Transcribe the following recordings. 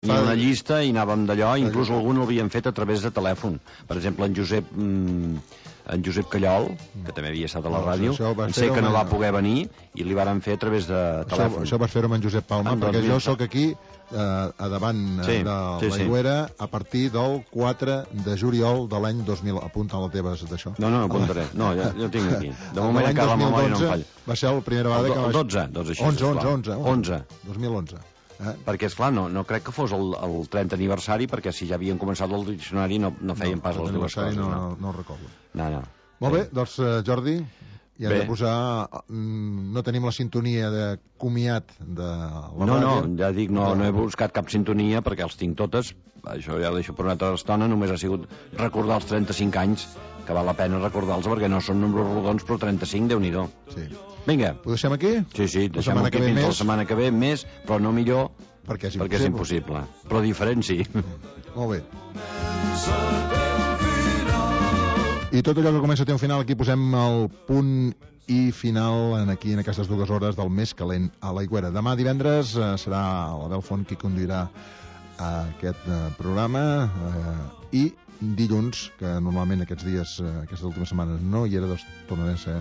Hi ha una llista i anàvem d'allò, inclús algun l'havien fet a través de telèfon. Per exemple, en Josep Callol, que també havia estat a la ràdio, sé que no va poder venir i li varen fer a través de telèfon. Això vas fer-ho amb en Josep Palma, perquè jo sóc aquí a davant de l'Aigüera a partir del 4 de juliol de l'any 2000. Apunta les teves d'això. No, apuntaré. No, ja ho tinc aquí. De moment encara la memòria no em falla. Va ser la primera vegada que vaig... 11. 2011. Perquè, esclar, no crec que fos el 30 aniversari, perquè si ja havien començat el diccionari no feien pas les dues coses. No recordo. No. Molt bé, doncs, Jordi, ja hem de posar... No tenim la sintonia de comiat de la ràdio. No, ja dic, no he buscat cap sintonia, perquè els tinc totes. Això ja ho deixo per una altra estona. Només ha sigut recordar els 35 anys, que val la pena recordar-los, perquè no són números rodons, però 35, Déu-n'hi-do. Sí. Vinga. Ho deixem aquí? Sí, deixem aquí fins la setmana que ve, més, però no millor, perquè és impossible. Però diferent, sí. Molt bé. I tot allò que comença té un final, aquí posem el punt i final aquí en aquestes 2 hores del més calent a l'Aigüera. Demà divendres serà l'Abel Font qui conduirà aquest programa i dilluns, que normalment aquests dies, aquestes últimes setmanes no hi era, doncs tornaré a ser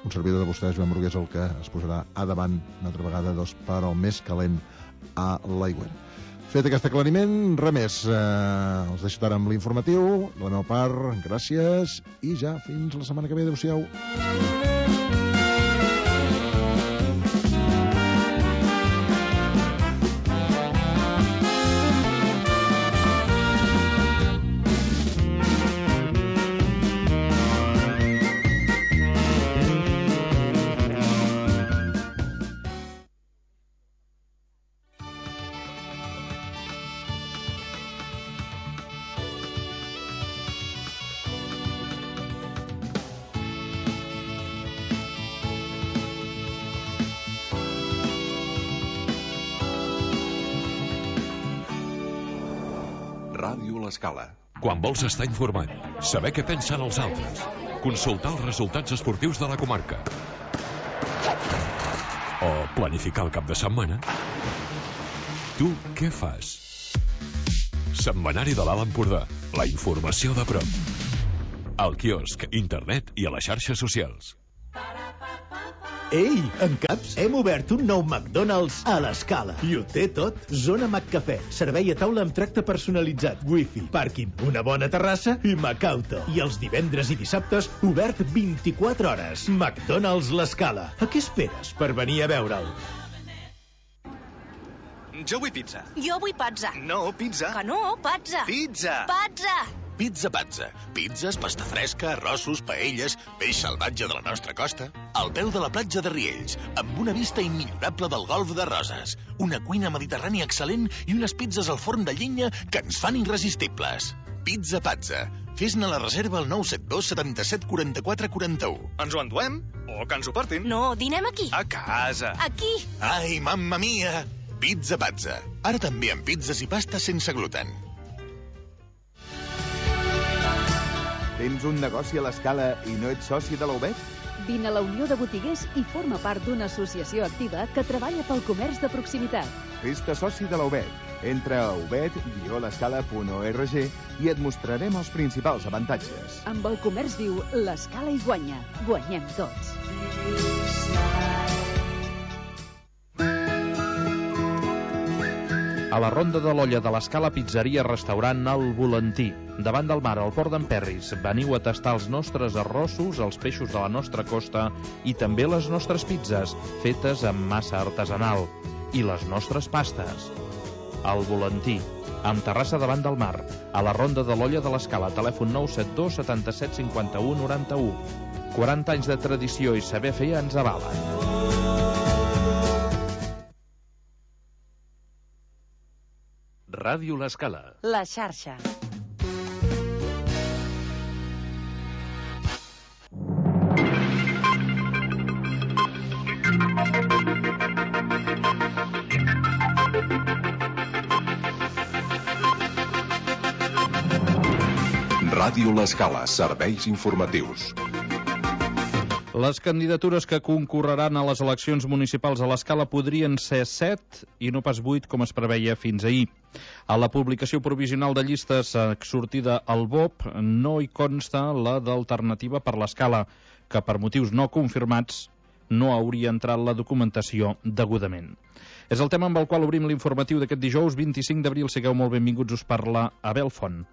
un servidor de vostès, Joan Brugués, el que es posarà a davant una altra vegada per al més calent a l'Aigüera. Fet aquest aclariment, res més. Els deixo ara amb l'informatiu. De la meva part, gràcies i ja fins la setmana que ve. Adéu-siau. Ràdio L'Escala. Quan vols estar informat, saber què pensen els altres, consultar els resultats esportius de la comarca o planificar el cap de setmana, tu què fas? Setmanari de l'Alt Empordà, la informació de prop. Al quiosc, internet i a les xarxes socials. Ei, en Caps, hem obert un nou McDonald's a l'Escala. I ho té tot. Zona McCafè, servei a taula amb tracte personalitzat, wifi, pàrquing, una bona terrassa i Macauto. I els divendres i dissabtes, obert 24 hores. McDonald's l'Escala. A què esperes per venir a veure'l? Jo vull pizza. Jo vull pizza. No, pizza. Que no, pizza. Pizza. Pizza. Pizza Pazza. Pizzas, pasta fresca, arrossos, paelles, peix salvatge de la nostra costa. Al peu de la platja de Riells, amb una vista immillorable del golf de Roses. Una cuina mediterrània excel·lent i unes pizzas al forn de llenya que ens fan irresistibles. Pizza Pazza. Fes-ne la reserva al 972 77 44 41. Ens ho enduem? O que ens ho portin? No, dinem aquí. A casa. Aquí. Ai, mamma mia! Pizza Pazza. Ara també amb pizzas i pastes sense gluten. Tens un negoci a l'Escala i no ets soci de la UBET? Vine a la Unió de Botiguers i forma part d'una associació activa que treballa pel comerç de proximitat. Fes-te soci de la UBET. Entra a ubet-l'escala.org i et mostrarem els principals avantatges. Amb el comerç viu, l'Escala hi guanya. Guanyem tots. A la Ronda de l'Olla de l'Escala Pizzeria Restaurant El Volantí, davant del mar, al port d'Emperris. Veniu a tastar els nostres arrossos, els peixos de la nostra costa i també les nostres pizzas, fetes amb massa artesanal. I les nostres pastes. El Volantí, amb terrassa davant del mar, a la Ronda de l'Olla de l'Escala, telèfon 972 77 51 91. 40 anys de tradició i saber fer ens avalen. Ràdio L'Escala. La xarxa. Ràdio L'Escala, serveis informatius. Les candidatures que concorreran a les eleccions municipals a l'Escala podrien ser 7 i no pas 8, com es preveia fins ahir. A la publicació provisional de llistes sortida al BOP no hi consta la d'Alternativa per l'Escala, que per motius no confirmats no hauria entrat la documentació degudament. És el tema amb el qual obrim l'informatiu d'aquest dijous 25 d'abril. Sigueu molt benvinguts, us parla Abel Font.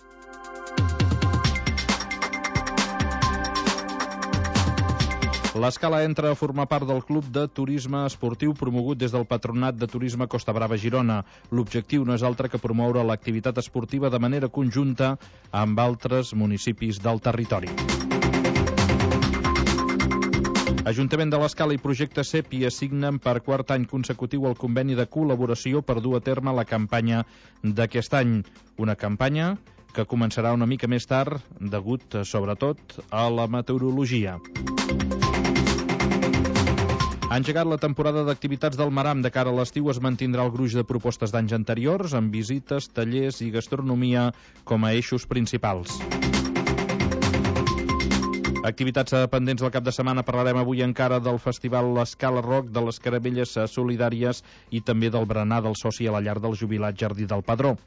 L'Escala entra a formar part del Club de Turisme Esportiu promogut des del Patronat de Turisme Costa Brava Girona. L'objectiu no és altre que promoure l'activitat esportiva de manera conjunta amb altres municipis del territori. Ajuntament de l'Escala i Projecte Sèpia signen per quart any consecutiu el conveni de col·laboració per dur a terme la campanya d'aquest any. Una campanya que començarà una mica més tard, degut, sobretot, a la meteorologia. Ha engegat la temporada d'activitats del Maram. De cara a l'estiu es mantindrà el gruix de propostes d'anys anteriors, amb visites, tallers i gastronomia com a eixos principals. Activitats pendents del cap de setmana. Parlarem avui encara del Festival l'Escala Rock, de les Caramelles Solidàries i també del berenar del soci a la llar del jubilat Jardí del Padró.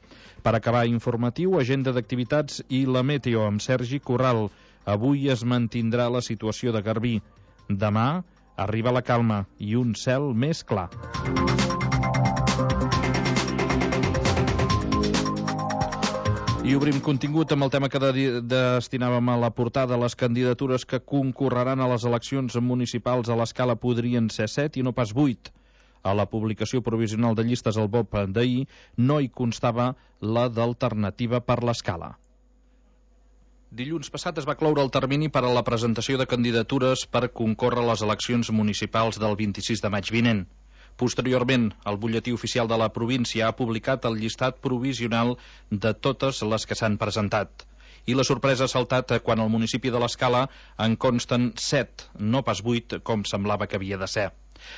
Per acabar informatiu, agenda d'activitats i la meteo amb Sergi Corral. Avui es mantindrà la situació de Garbí. Demà arriba la calma i un cel més clar. I obrim contingut amb el tema que destinàvem a la portada. Les candidatures que concorreran a les eleccions municipals a l'Escala podrien ser 7 i no pas 8. A la publicació provisional de llistes al BOP d'ahir no hi constava la d'Alternativa per l'Escala. Dilluns passat es va cloure el termini per a la presentació de candidatures per concórrer a les eleccions municipals del 26 de maig vinent. Posteriorment, el butlletí oficial de la província ha publicat el llistat provisional de totes les que s'han presentat. I la sorpresa ha saltat quan al municipi de l'Escala en consten 7, no pas 8, com semblava que havia de ser.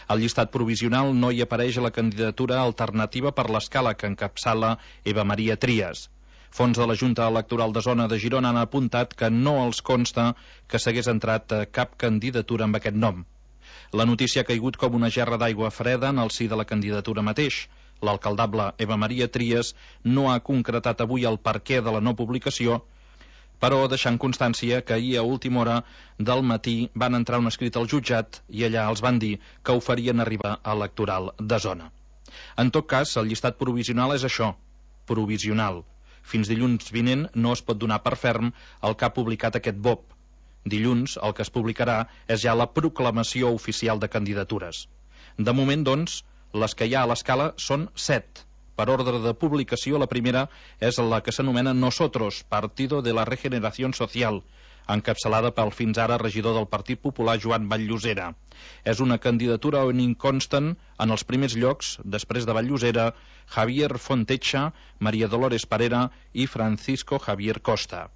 Al llistat provisional no hi apareix la candidatura Alternativa per l'Escala, que encapçala Eva Maria Trias. Fons de la Junta Electoral de Zona de Girona han apuntat que no els consta que s'hagués entrat cap candidatura amb aquest nom. La notícia ha caigut com una gerra d'aigua freda en el si de la candidatura mateix. L'alcaldable Eva Maria Trias no ha concretat avui el perquè de la no publicació, però deixant constància que ahir a última hora del matí van entrar un escrit al jutjat i allà els van dir que ho farien arribar a electoral de zona. En tot cas, el llistat provisional és això, provisional. Fins dilluns vinent no es pot donar per ferm el que ha publicat aquest BOP. Dilluns el que es publicarà és ja la proclamació oficial de candidatures. De moment, doncs, les que hi ha a l'Escala són 7. Per ordre de publicació, la primera és la que s'anomena Nosotros, Partido de la Regeneración Social, encapçalada pel fins ara regidor del Partit Popular Joan Vall-llosera. És una candidatura on hi consten en els primers llocs, després de Vall-llosera, Javier Fontecha, María Dolores Parera i Francisco Javier Costa.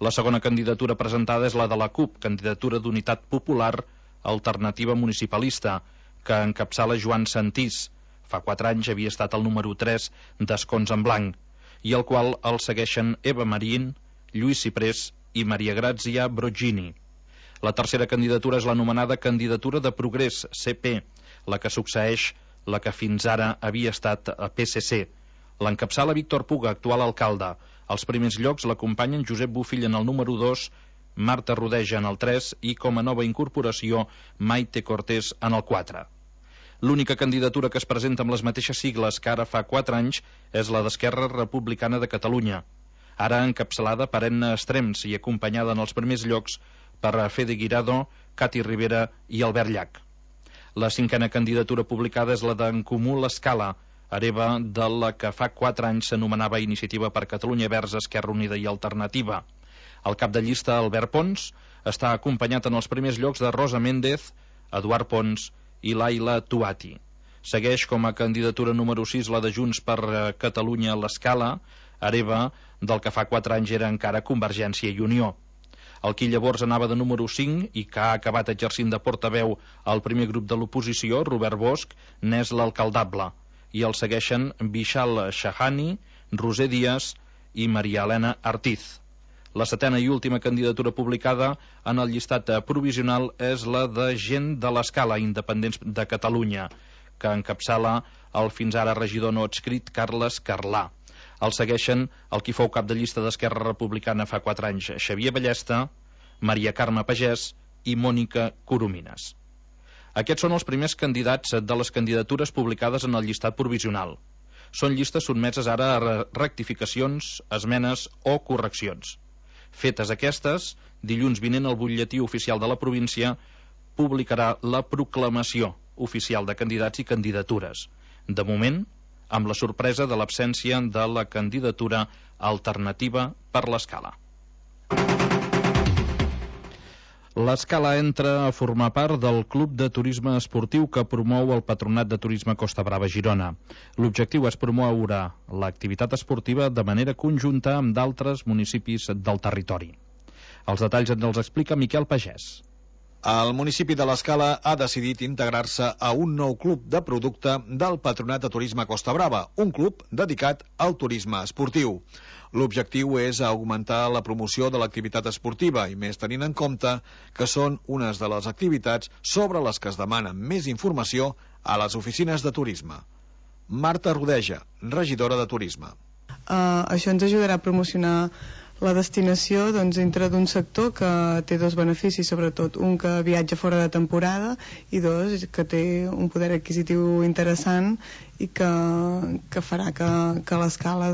La segona candidatura presentada és la de la CUP, Candidatura d'Unitat Popular Alternativa Municipalista, que encapçala Joan Santís. Fa 4 anys havia estat el número 3 d'Escons en Blanc, i el qual el segueixen Eva Marín, Lluís Ciprés i Maria Grazia Brogini. La tercera candidatura és l'anomenada Candidatura de Progrés, CP, la que succeeix la que fins ara havia estat a PSC. L'encapçala Víctor Puga, actual alcalde. Als primers llocs l'acompanyen Josep Bufill en el número 2, Marta Rodeja en el 3 i com a nova incorporació Maite Cortés en el 4. L'única candidatura que es presenta amb les mateixes sigles que ara fa 4 anys és la d'Esquerra Republicana de Catalunya, ara encapçalada per Enna Estrems i acompanyada en els primers llocs per Fede Guirado, Cati Rivera i Albert Llach. La cinquena candidatura publicada és la d'En Comú l'Escala, hereva de la que fa 4 anys s'anomenava Iniciativa per Catalunya Verds, Esquerra Unida i Alternativa. El cap de llista, Albert Pons, està acompanyat en els primers llocs de Rosa Méndez, Eduard Pons i Laila Tuati. Segueix com a candidatura número 6 la de Junts per Catalunya l'Escala, hereva del que fa 4 anys era encara Convergència i Unió. El qui llavors anava de número 5 i que ha acabat exercint de portaveu al primer grup de l'oposició, Robert Bosch, n'és l'alcaldable, i el segueixen Vishal Shahani, Roser Díaz i Maria Elena Artiz. La 7a i última candidatura publicada en el llistat provisional és la de Gent de l'Escala, Independents de Catalunya, que encapçala el fins ara regidor no adscrit Carles Carlà. El segueixen el qui fou cap de llista d'Esquerra Republicana fa 4 anys, Xavier Ballesta, Maria Carme Pagès i Mònica Coromines. Aquests són els primers candidats de les candidatures publicades en el llistat provisional. Són llistes sotmeses ara a rectificacions, esmenes o correccions. Fetes aquestes, dilluns vinent el butlletí oficial de la província publicarà la proclamació oficial de candidats i candidatures. De moment, amb la sorpresa de l'absència de la candidatura alternativa per l'Escala. L'Escala entra a formar part del Club de Turisme Esportiu que promou el Patronat de Turisme Costa Brava Girona. L'objectiu és promoure l'activitat esportiva de manera conjunta amb d'altres municipis del territori. Els detalls ens els explica Miquel Pagès. El municipi de l'Escala ha decidit integrar-se a un nou club de producte del Patronat de Turisme Costa Brava, un club dedicat al turisme esportiu. L'objectiu és augmentar la promoció de l'activitat esportiva i més tenint en compte que són unes de les activitats sobre les que es demana més informació a les oficines de turisme. Marta Rodeja, regidora de Turisme. Això ens ajudarà a promocionar la destinació dintre d'un sector que té dos beneficis, sobretot un que viatja fora de temporada i dos que té un poder adquisitiu interessant i que farà que l'Escala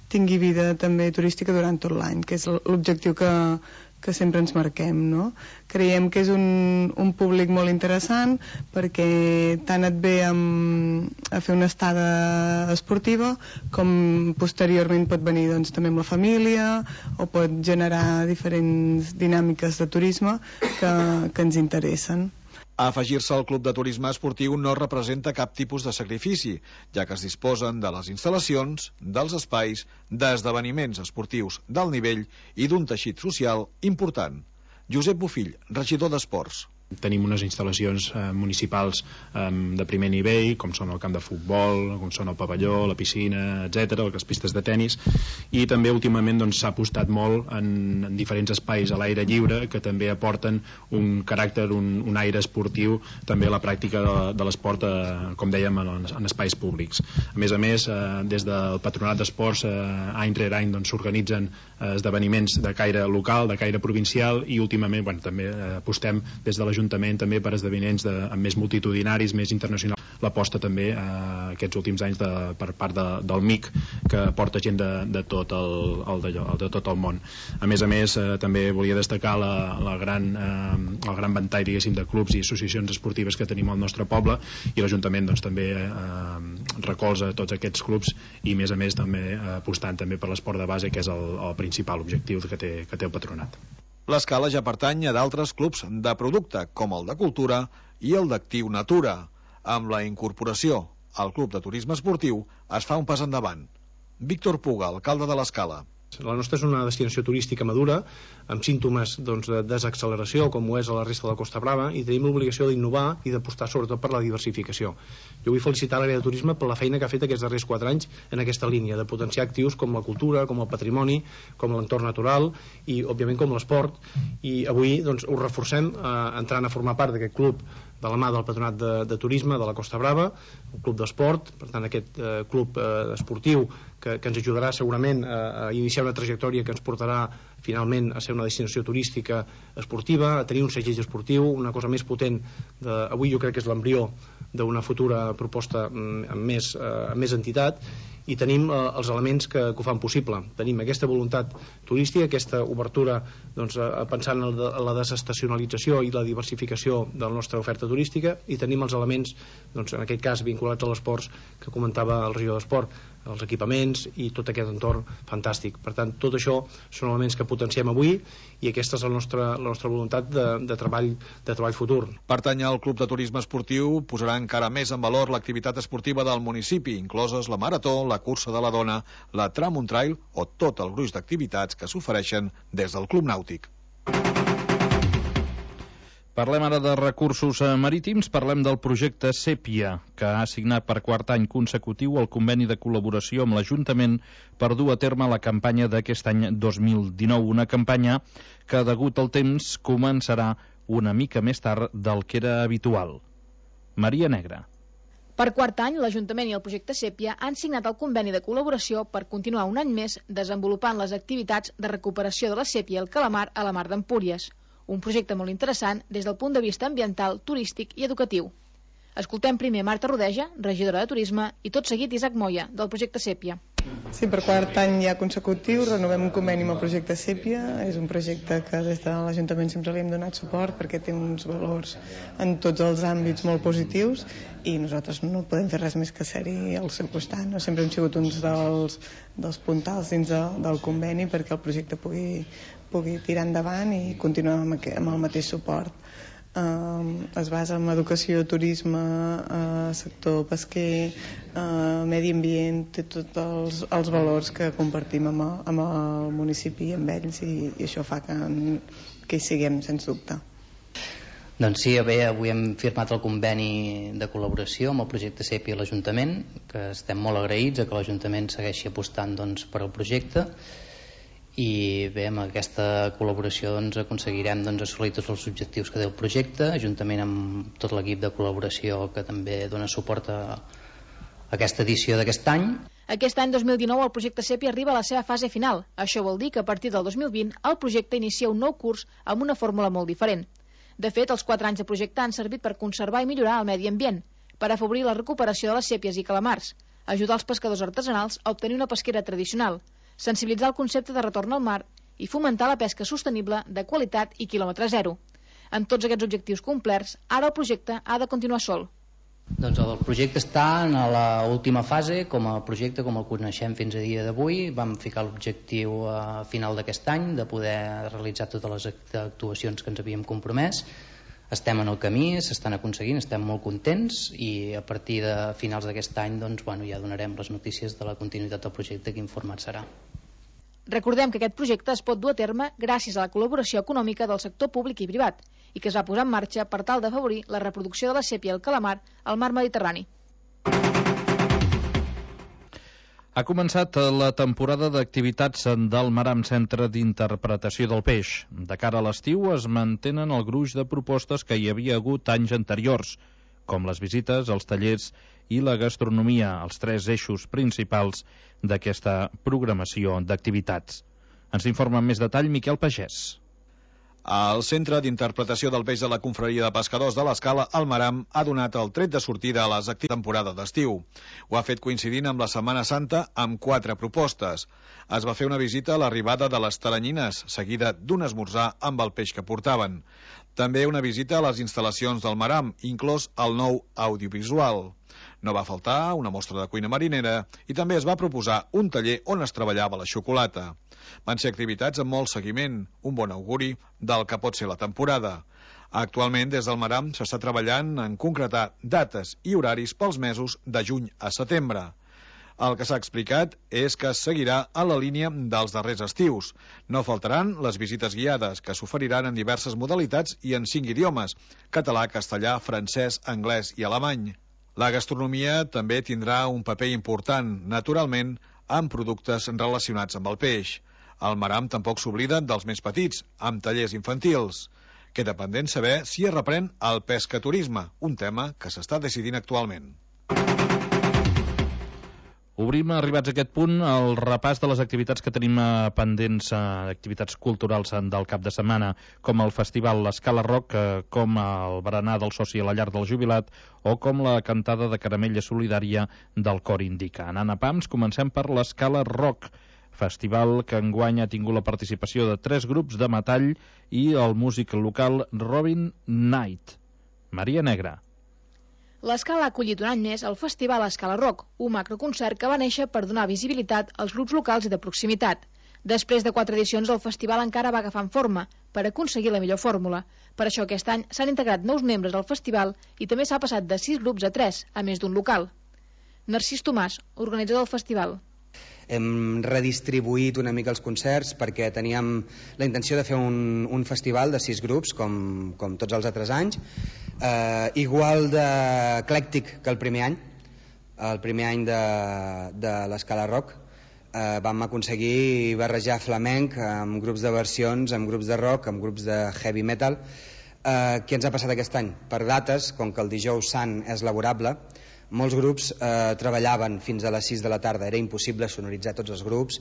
tingui vida també turística durant tot l'any, que és l'objectiu que sempre ens marquem, no? Creiem que és un públic molt interessant perquè tant et ve a fer una estada esportiva com posteriorment pot venir també amb la família o pot generar diferents dinàmiques de turisme que ens interessen. Afegir-se al Club de Turisme Esportiu no representa cap tipus de sacrifici, ja que es disposen de les instal·lacions, dels espais, d'esdeveniments esportius d'alt nivell i d'un teixit social important. Josep Bofill, regidor d'Esports. Tenim unes instal·lacions municipals de primer nivell, com són el camp de futbol, com són el pavelló, la piscina, etc., les pistes de tennis, i també últimament s'ha apostat molt en diferents espais a l'aire lliure que també aporten un caràcter, un aire esportiu també a la pràctica de l'esport, com dèiem, en espais públics. A més, des del Patronat d'Esports, any rere any s'organitzen esdeveniments de caire local, de caire provincial, i últimament també apostem des de l'Ajuntament també per esdeveniments amb més multitudinaris, més internacionals. L'aposta també aquests últims anys per part del MIC, que porta gent de tot el món. A més, també volia destacar el gran ventall, diguéssim, de clubs i associacions esportives que tenim al nostre poble, i l'Ajuntament també recolza tots aquests clubs i, a més, també apostant també per l'esport de base, que és el principal objectiu que té el Patronat. L'Escala ja pertany a d'altres clubs de producte, com el de Cultura i el d'Actiu Natura. Amb la incorporació al Club de Turisme Esportiu es fa un pas endavant. Víctor Puga, alcalde de l'Escala. La nostra és una destinació turística madura, amb símptomes de desacceleració, com ho és a la resta de la Costa Brava, i tenim l'obligació d'innovar i d'apostar sobretot per la diversificació. Jo vull felicitar l'àrea de turisme per la feina que ha fet aquests darrers 4 anys en aquesta línia, de potenciar actius com la cultura, com el patrimoni, com l'entorn natural i, òbviament, com l'esport. I avui ho reforcem entrant a formar part d'aquest club de la mà del Patronat de Turisme de la Costa Brava, un club d'esport, per tant aquest club esportiu que ens ajudarà segurament a iniciar una trajectòria que ens portarà finalment a ser una destinació turística esportiva, a tenir un segell esportiu, una cosa més potent. Avui jo crec que és l'embrió d'una futura proposta amb més entitat, i tenim els elements que ho fan possible. Tenim aquesta voluntat turística, aquesta obertura pensant en la desestacionalització i la diversificació de la nostra oferta turística, i tenim els elements, en aquest cas vinculats a l'esport, que comentava el regidor d'Esport, els equipaments i tot aquest entorn fantàstic. Per tant, tot això són elements que potenciem avui, i aquesta és la nostra voluntat de treball futur. Pertany al Club de Turisme Esportiu posarà encara més en valor l'activitat esportiva del municipi, incloses la marató, la cursa de la dona, la tram un trail o tot el gruix d'activitats que s'ofereixen des del Club Nàutic. Parlem ara de recursos marítims, parlem del projecte Sèpia, que ha signat per quart any consecutiu el conveni de col·laboració amb l'Ajuntament per dur a terme la campanya d'aquest any 2019, una campanya que, degut al temps, començarà una mica més tard del que era habitual. Maria Negra. Per quart any, l'Ajuntament i el projecte Sèpia han signat el conveni de col·laboració per continuar un any més desenvolupant les activitats de recuperació de la sèpia i el calamar a la mar d'Empúries. Un projecte molt interessant des del punt de vista ambiental, turístic i educatiu. Escoltem primer Marta Rodeja, regidora de Turisme, i tot seguit Isaac Moya, del projecte Sèpia. Sí, per quart any ja consecutiu renovem un conveni amb el projecte Sèpia. És un projecte que des de l'Ajuntament sempre li hem donat suport perquè té uns valors en tots els àmbits molt positius i nosaltres no podem fer res més que ser-hi al seu costat. No? Sempre hem sigut uns dels puntals dins del conveni perquè el projecte pugui tirar endavant i continuar amb el mateix suport. Es basa en educació, turisme, sector pesquer, medi ambient, té tots els valors que compartim amb el municipi i amb ells i això fa que hi siguem, sens dubte. Doncs sí, avui hem firmat el conveni de col·laboració amb el projecte Sèpia i l'Ajuntament, que estem molt agraïts a que l'Ajuntament segueixi apostant per al projecte. I bé, amb aquesta col·laboració aconseguirem assolir tots els objectius que té el projecte, juntament amb tot l'equip de col·laboració que també dona suport a aquesta edició d'aquest any. Aquest any 2019 el projecte Sèpia arriba a la seva fase final. Això vol dir que a partir del 2020 el projecte inicia un nou curs amb una fórmula molt diferent. De fet, els 4 anys de projecte han servit per conservar i millorar el medi ambient, per afavorir la recuperació de les sèpies i calamars, ajudar els pescadors artesanals a obtenir una pesquera tradicional, sensibilitzar el concepte de retorn al mar i fomentar la pesca sostenible de qualitat i quilòmetre zero. Amb tots aquests objectius complerts, ara el projecte ha de continuar sol. Doncs el projecte està en l'última fase, com a projecte, com el coneixem fins a dia d'avui. Vam ficar l'objectiu a final d'aquest any de poder realitzar totes les actuacions que ens havíem compromès. Estem en el camí, s'estan aconseguint, estem molt contents i a partir de finals d'aquest any ja donarem les notícies de la continuïtat del projecte, quin format serà. Recordem que aquest projecte es pot dur a terme gràcies a la col·laboració econòmica del sector públic i privat i que es va posar en marxa per tal d'afavorir la reproducció de la sèpia i el calamar al mar Mediterrani. Ha començat la temporada d'activitats del Maram Centre d'Interpretació del Peix. De cara a l'estiu es mantenen el gruix de propostes que hi havia hagut anys anteriors, com les visites, els tallers i la gastronomia, els 3 eixos principals d'aquesta programació d'activitats. Ens informa amb més detall Miquel Pagès. El Centre d'Interpretació del Peix de la Confraria de Pescadors de l'Escala, el Maram, ha donat el tret de sortida a les activitats de temporada d'estiu. Ho ha fet coincidint amb la Setmana Santa amb 4 propostes. Es va fer una visita a l'arribada de les taranyines, seguida d'un esmorzar amb el peix que portaven. També una visita a les instal·lacions del Maram, inclòs el nou audiovisual. No va faltar una mostra de cuina marinera i també es va proposar un taller on es treballava la xocolata. Van ser activitats amb molt seguiment, un bon auguri del que pot ser la temporada. Actualment, des del Maram s'està treballant en concretar dates i horaris pels mesos de juny a setembre. El que s'ha explicat és que es seguirà a la línia dels darrers estius. No faltaran les visites guiades, que s'oferiran en diverses modalitats i en 5 idiomes: català, castellà, francès, anglès i alemany. La gastronomia també tindrà un paper important, naturalment, amb productes relacionats amb el peix. El Maram tampoc s'oblida dels més petits, amb tallers infantils. Queda pendent saber si es reprèn el pescaturisme, un tema que s'està decidint actualment. Obrim, arribats a aquest punt, el repàs de les activitats que tenim pendents, activitats culturals del cap de setmana, com el festival L'Escala Rock, com el berenar del soci a la llar del jubilat o com la cantada de caramella solidària del Cor Indica. Anant a pams, comencem per l'Escala Rock, festival que enguany ha tingut la participació de 3 grups de metall i el músic local Robin Knight. Maria Negra. L'Escala ha acollit un any més el festival Escala Rock, un macroconcert que va néixer per donar visibilitat als grups locals i de proximitat. Després de 4 edicions, el festival encara va agafant forma per aconseguir la millor fórmula. Per això aquest any s'han integrat nous membres al festival i també s'ha passat de 6 grups a 3, a més d'un local. Narcís Tomàs, organitzador del festival. hem redistribuït una mica els concerts perquè teníem la intenció de fer un festival de 6 grups com tots els altres anys, igual d'eclèctic que el primer any de l'Escala Rock. Vam aconseguir barrejar flamenc amb grups de versions, amb grups de rock, amb grups de heavy metal. Què ens ha passat aquest any? Per dates, com que el dijous sant és laborable, molts grups treballaven fins a les 6 de la tarda, era impossible sonoritzar tots els grups,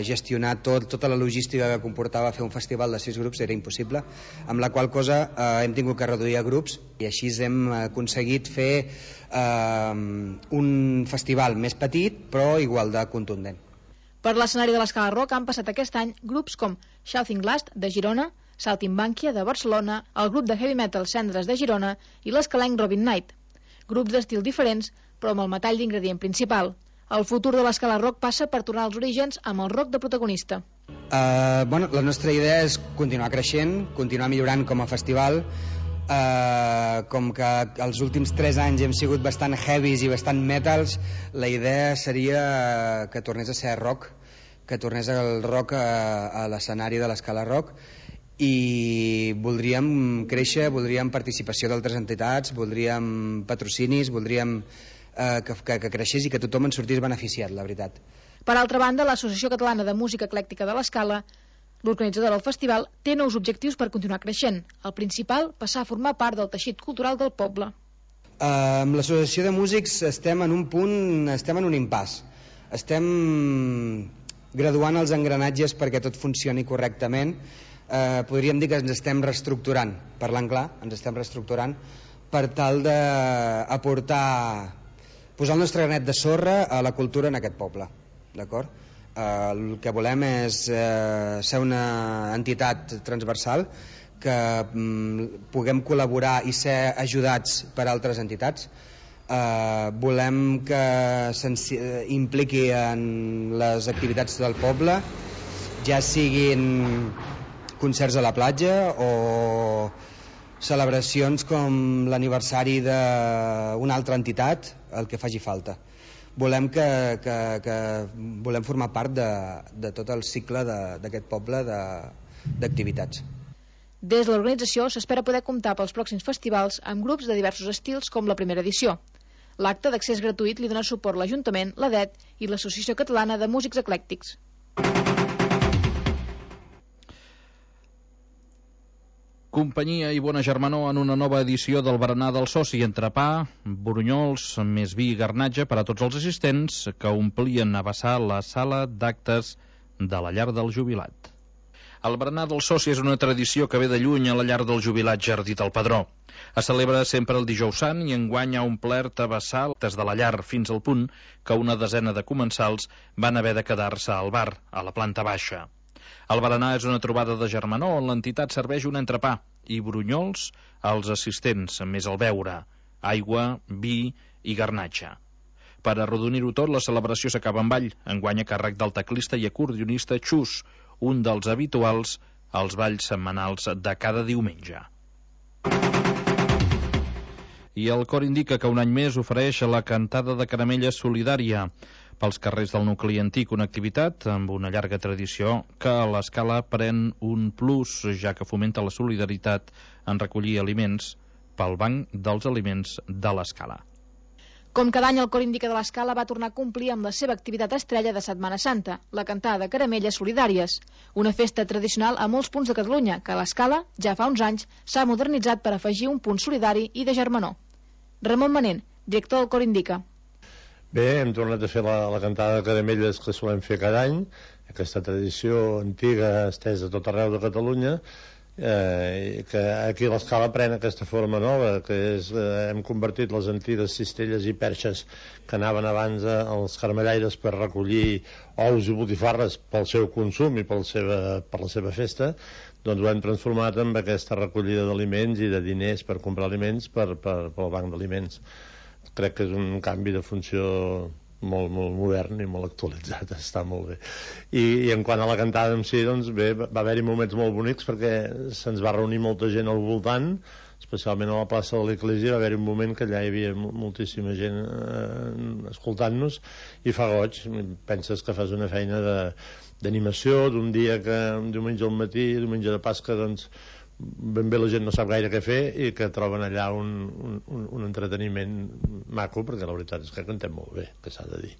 gestionar tota la logística que comportava fer un festival de 6 grups era impossible, amb la qual cosa hem tingut que reduir a grups i així hem aconseguit fer un festival més petit però igual de contundent. Per l'escenari de l'Escala Rock han passat aquest any grups com Shouting Blast de Girona, Saltimbanquia de Barcelona, el grup de heavy metal Cendres de Girona i l'escalenc Robin Knight. Grups d'estil diferents, però amb el metall d'ingredient principal. El futur de l'Escala Rock passa per tornar als orígens amb el rock de protagonista. La nostra idea és continuar creixent, continuar millorant com a festival. Com que els últims 3 anys hem sigut bastant heavies i bastant metals, la idea seria que tornés a ser rock, que tornés el rock a l'escenari de l'Escala Rock, i voldríem créixer, voldríem participació d'altres entitats, voldríem patrocinis, voldríem que creixés i que tothom en sortís beneficiat, la veritat. Per altra banda, l'Associació Catalana de Música Eclèctica de l'Escala, l'organitzadora del festival, té nous objectius per continuar creixent. El principal, passar a formar part del teixit cultural del poble. Amb l'Associació de Músics estem en un impàs. Estem graduant els engranatges perquè tot funcioni correctament. Podríem dir que ens estem reestructurant, parlant clar, ens estem reestructurant per tal d'aportar, posar el nostre granet de sorra a la cultura en aquest poble, d'acord? El que volem és ser una entitat transversal, que puguem col·laborar i ser ajudats per altres entitats. Volem que s'impliqui en les activitats del poble, ja siguin concerts a la platja o celebracions com l'aniversari d'una altra entitat, el que faci falta. Volem volem formar part de tot el cicle d'aquest poble d'activitats. Des de l'organització s'espera poder comptar pels pròxims festivals amb grups de diversos estils com la primera edició. L'acte d'accés gratuït li dona suport l'Ajuntament, l'ADET i l'Associació Catalana de Músics Eclèctics. Companyia i bona germanor en una nova edició del berenar del soci, entrepà, borunyols, més vi i garnatge per a tots els assistents que omplien a vessar la sala d'actes de la llar del jubilat. El berenar del soci és una tradició que ve de lluny a la llar del jubilat Jardí del Padró. Es celebra sempre el dijous sant i enguany ha omplert a vessar des de la llar fins al punt que una desena de comensals van haver de quedar-se al bar, a la planta baixa. El berenar és una trobada de germanor on l'entitat serveix un entrepà i brunyols als assistents, més el beure, aigua, vi i garnatge. Per arrodonir-ho tot, la celebració s'acaba amb ball, enguany a càrrec del teclista i acordionista Xus, un dels habituals als balls setmanals de cada diumenge. I el cor indica que un any més ofereix la cantada de caramelles solidària pels carrers del nucli antic, una activitat amb una llarga tradició que a l'Escala pren un plus, ja que fomenta la solidaritat en recollir aliments pel Banc dels Aliments de l'Escala. Com cada any, el Cor Indica de l'Escala va tornar a complir amb la seva activitat estrella de Setmana Santa, la cantada de caramelles solidàries, una festa tradicional a molts punts de Catalunya, que a l'Escala, ja fa uns anys, s'ha modernitzat per afegir un punt solidari i de germanor. Ramon Manent, director del Cor Indica. Bé, hem tornat a fer la cantada de caramelles que solem fer cada any, aquesta tradició antiga estesa a tot arreu de Catalunya, que aquí a l'Escala pren aquesta forma nova, que és, hem convertit les antigues cistelles i perxes que anaven abans als caramellaires per recollir ous i botifarres pel seu consum i per la seva festa, doncs ho hem transformat en aquesta recollida d'aliments i de diners per comprar aliments pel banc d'aliments. Crec que és un canvi de funció molt modern i molt actualitzat, està molt bé. I en quant a la cantada en si, doncs bé, va haver-hi moments molt bonics perquè se'ns va reunir molta gent al voltant, especialment a la plaça de l'Església va haver un moment que allà hi havia moltíssima gent escoltant-nos i fa goig. Penses que fas una feina d'animació d'un dia que diumenge al matí, diumenge de Pasca, doncs ben bé la gent no sap gaire què fer i que troben allà un entreteniment maco, perquè la veritat és que cantem molt bé, que s'ha de dir.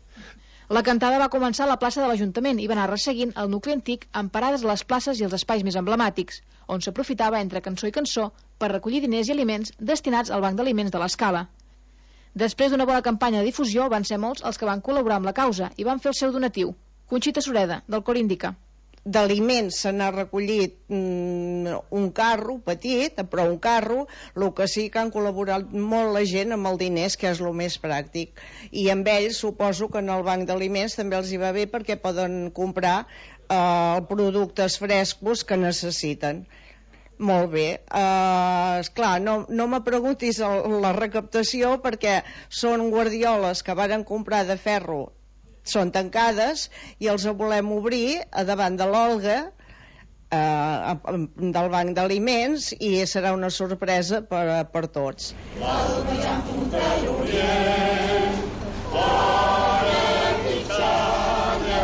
La cantada va començar a la plaça de l'Ajuntament i va anar resseguint el nucli antic amb parades a les places i els espais més emblemàtics, on s'aprofitava entre cançó i cançó per recollir diners i aliments destinats al Banc d'Aliments de l'Escala. Després d'una bona campanya de difusió, van ser molts els que van col·laborar amb la causa i van fer el seu donatiu. Conxita Sureda, del Cor Indica. D'aliments se n'ha recollit un carro petit, però un carro, el que sí que han col·laborat molt la gent amb els diners, que és el més pràctic, i amb ells suposo que en el banc d'aliments també els hi va bé perquè poden comprar productes frescos que necessiten. Molt bé. Esclar, no me preguntis la recaptació perquè són guardioles que varen comprar de ferro, són tancades i els volem obrir a davant de l'Olga del Banc d'Aliments i serà una sorpresa per tots. L'Alba ja en punta l'Orient, fora Quixalla,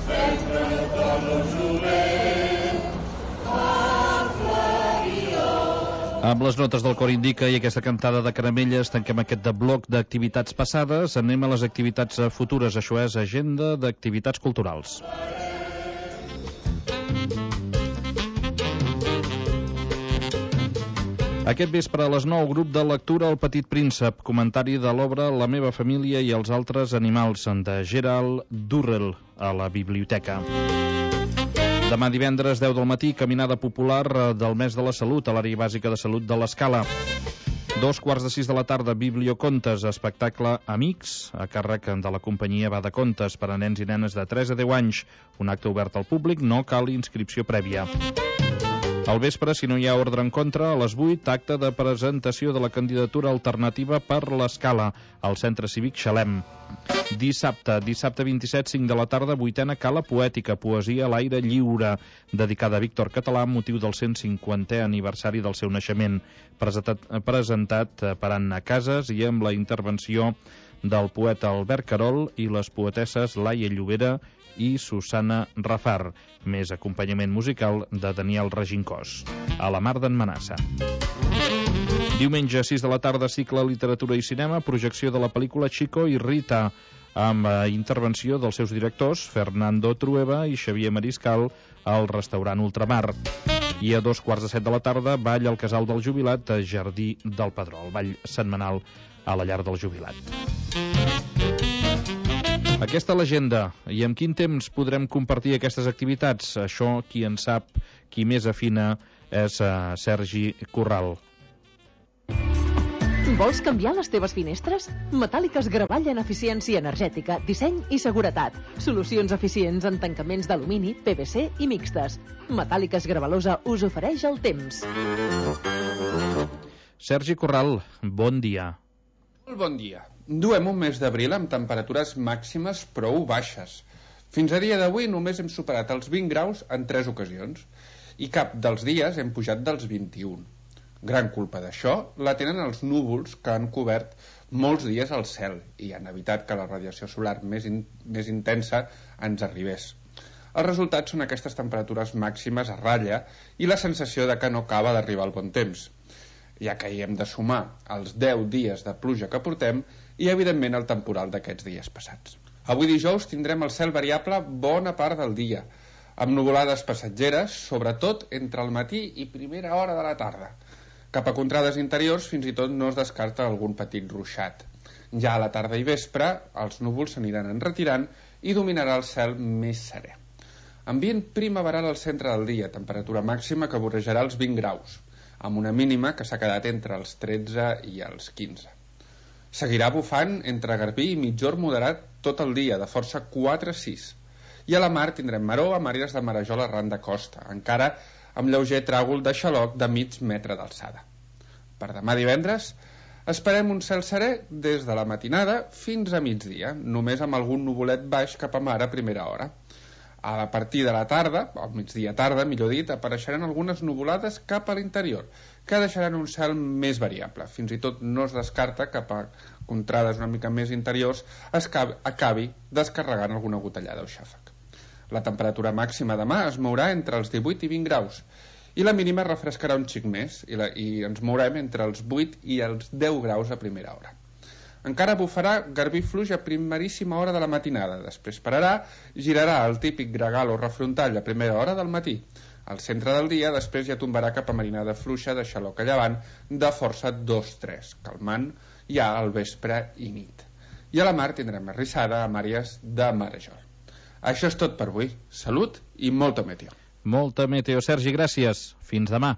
sempre tot el jovent, Amb les notes del Cor Indica i aquesta cantada de caramelles tanquem aquest bloc d'activitats passades. Anem a les activitats futures. Això és Agenda d'Activitats Culturals. Aquest vespre a les 9, grup de lectura El Petit Príncep, comentari de l'obra La meva família i els altres animals, de Gerald Durrell, a la biblioteca. Demà divendres, 10 del matí, caminada popular del mes de la salut a l'àrea bàsica de salut de l'Escala. 2:45 de la tarda, Bibliocontes, espectacle Amics, a càrrec de la companyia Bada Contes per a nens i nenes de 3 a 10 anys. Un acte obert al públic, no cal inscripció prèvia. Al vespre, si no hi ha ordre en contra, a les 8, acte de presentació de la candidatura alternativa per l'Escala, al Centre Cívic Xalem. Dissabte 27, 5 de la tarda, 8a Cala Poètica, poesia a l'aire lliure, dedicada a Víctor Català amb motiu del 150è aniversari del seu naixement, presentat per Anna Casas i amb la intervenció del poeta Albert Carol i les poetesses Laia Llobera i Susana Rafar, més acompanyament musical de Daniel Regincós. A la Mar d'en Manassa. Diumenge, 6 de la tarda, cicle Literatura i Cinema, projecció de la pel·lícula Chico i Rita, amb intervenció dels seus directors, Fernando Trueba i Xavier Mariscal, al restaurant Ultramar. I a 2:15 de la tarda, ball al Casal del Jubilat, a Jardí del Padró, el ball setmanal a la llar del jubilat. Aquesta l'agenda. I amb quin temps podrem compartir aquestes activitats? Això, qui en sap, qui més afina, és Sergi Corral. Vols canviar les teves finestres? Metàl·liques Gravall en eficiència energètica, disseny i seguretat. Solucions eficients en tancaments d'alumini, PVC i mixtes. Metàl·liques Gravalosa us ofereix el temps. Sergi Corral, bon dia. Molt bon dia. Duem un mes d'abril amb temperatures màximes prou baixes. Fins a dia d'avui només hem superat els 20 graus en 3 ocasions i cap dels dies hem pujat dels 21. Gran culpa d'això la tenen els núvols que han cobert molts dies el cel i han evitat que la radiació solar més intensa ens arribés. Els resultats són aquestes temperatures màximes a ratlla i la sensació de que no acaba d'arribar el bon temps, ja que hi hem de sumar els 10 dies de pluja que portem i, evidentment, el temporal d'aquests dies passats. Avui dijous tindrem el cel variable bona part del dia, amb nuvolades passatgeres, sobretot entre el matí i primera hora de la tarda. Cap a contrades interiors fins i tot no es descarta algun petit ruixat. Ja a la tarda i vespre els núvols s'aniran enretirant i dominarà el cel més serè. Ambient primaveral al centre del dia, temperatura màxima que vorejarà els 20 graus, amb una mínima que s'ha quedat entre els 13 i els 15. Seguirà bufant entre garbí i mitjorn moderat tot el dia, de força 4-6. I a la mar tindrem maró amb àrees de marejol arran de costa, encara amb lleuger tràgol de xaloc de mig metre d'alçada. Per demà divendres esperem un cel serè des de la matinada fins a migdia, només amb algun nuvolet baix cap a mar a primera hora. A partir de la tarda, al migdia tarda, millor dit, apareixeran algunes nuvolades cap a l'interior, que deixaran un cel més variable. Fins i tot no es descarta que a contrades una mica més interiors acabi descarregant alguna gotellada o xàfec. La temperatura màxima demà es mourà entre els 18 i 20 graus i la mínima refrescarà un xic més i ens mourem entre els 8 i els 10 graus a primera hora. Encara bufarà garbí fluix a primeríssima hora de la matinada, després pararà, girarà el típic gregal o refrontall a primera hora del matí. Al centre del dia després ja tombarà cap a marinada fluixa de xaloc a llevant de força 2-3, calmant ja al vespre i nit. I a la mar tindrem arrissada amb àrees de marejol. Això és tot per avui. Salut i molta meteo. Molta meteo, Sergi, gràcies. Fins demà.